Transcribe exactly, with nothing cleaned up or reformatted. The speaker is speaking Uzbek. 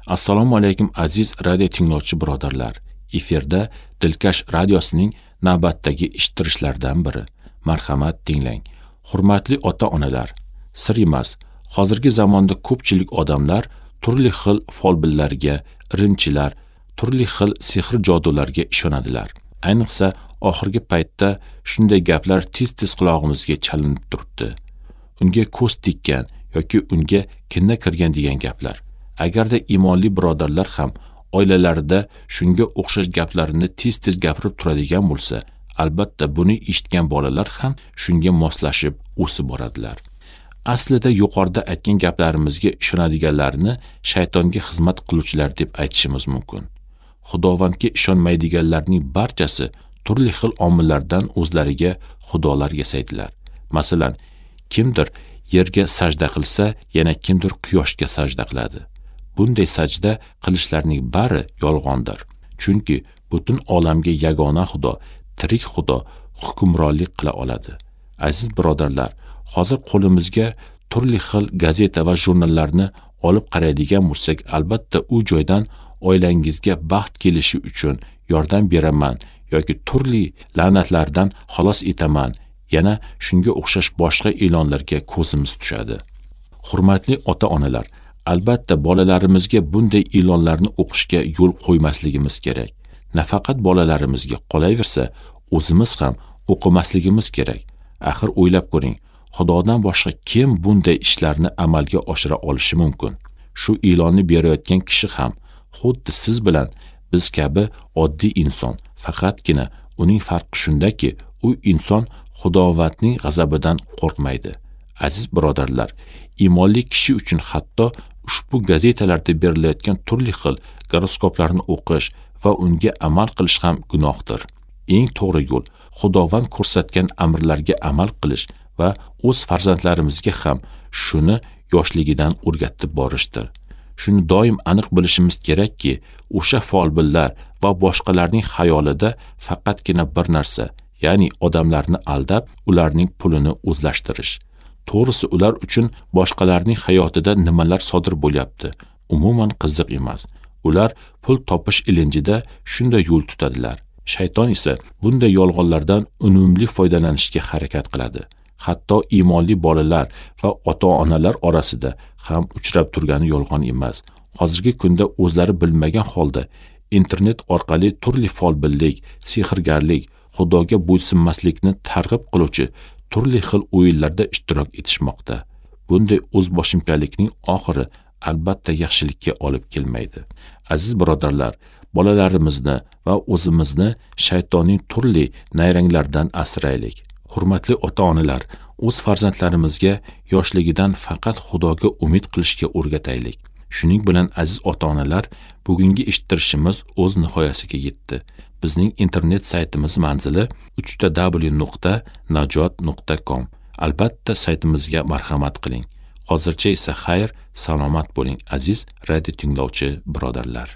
Assalomu alaykum aziz radio tinglovchi birodarlar. Efirda Dilkash radiosining navbatdagi eshittirishlardan biri. Marhamat tinglang. Hurmatli ota-onalar, sir emas, hozirgi zamonda ko'pchilik odamlar turli xil folbinlarga, irimchilar, turli xil sehr jodularga ishonadilar. Ayniqsa oxirgi paytda shunday gaplar tez-tez qulog'imizga chalinib turibdi. Unga ko'z tekkan yoki unga kinna kirgan degan gaplar. Agarda iymonli birodarlar ham oilalarida shunga o'xshash gaplarni tez-tez gapirib turadigan bo'lsa, albatta buni eshitgan bolalar ham shunga moslashib o'sib boradilar. Aslida yuqorida aytgan gaplarimizga ishonadiganlarni shaytonga xizmat qiluvchilar deb aytishimiz mumkin. Xudovandga ishonmaydiganlarning barchasi turli xil omillardan o'zlariga xudolar yasaydilar. Masalan, kimdir yerga sajda qilsa, yana kimdir quyoshga sajda qiladi. Bunday sajda qilishlarning bari yolg'ondir. Chunki butun olamga yagona Xudo, tirik Xudo hukmronlik qila oladi. Aziz birodarlar, hozir qo'limizga turli xil gazeta va jurnallarni olib qaraydigan bo'lsak, albatta u joydan oilangizga baxt kelishi uchun yordam beraman yoki turli la'natlardan xalos etaman, yana shunga o'xshash boshqa e'lonlarga ko'zimiz tushadi. Hurmatli ota-onalar, albatta bolalarimizga bunday e'lonlarni o'qishga yo'l qo'ymasligimiz kerak. Nafaqat bolalarimizga, qolaversa, o'zimiz ham o'qimasligimiz kerak. Axir o'ylab ko'ring, Xudodan boshqa kim bunday ishlarni amalga oshira olishi mumkin? Shu e'lonni berayotgan kishi ham xuddi siz bilan biz kabi oddiy inson. Faqatgina uning farqi shundaki, u inson Xudovandning g'azabidan qo'rqmaydi. Aziz birodarlar, iymonli kishi uchun hatto ushbu gazetalarda berilayotgan turli xil goroskoplarni o'qish va unga amal qilish ham gunohdir. Eng to'g'ri yo'l Xudovand ko'rsatgan amrlarga amal qilish va o'z farzandlarimizga ham shuni yoshligidan o'rgatib borishdir. Shuni doim aniq bilishimiz kerakki, o'sha folbinlar va boshqalarning xayolida faqatgina bir narsa, ya'ni odamlarni aldab, ularning pulini o'zlashtirish. To'g'risi, ular uchun boshqalarning hayotida nimalar sodir bo'lyapti, umuman qiziq emas. Ular pul topish ilinjida shunday yo'l tutadilar. Shayton esa bunday yolg'onlardan unumli foydalanishga harakat qiladi. Hatto iymonli bolalar va ota-onalar orasida ham uchrab turgani yolg'on emas. Hozirgi kunda o'zlari bilmagan holda internet orqali turli folbinlik, sehrgarlik, Xudoga bo'ysunmaslikni targ'ib qiluvchi turli xil o'yinlarda ishtirok etishmoqda. Bunday o'zboshimchalikning oxiri albatta yaxshilikka olib kelmaydi. Aziz birodarlar, bolalarimizni va o'zimizni shaytonning turli nayranglaridan asraylik. Hurmatli ota-onalar, o'z farzandlarimizga yoshligidan faqat Xudoga umid qilishga o'rgataylik. Shuning bilan aziz ota-onalar, bugungi eshittirishimiz o'z nihoyasiga yetdi. Bizning internet saytimiz manzili uch ta w nuqta najot nuqta com. Albatta saytimizga marhamat qiling. Hozircha esa xayr, salomat bo'ling aziz radio tinglovchi birodarlar.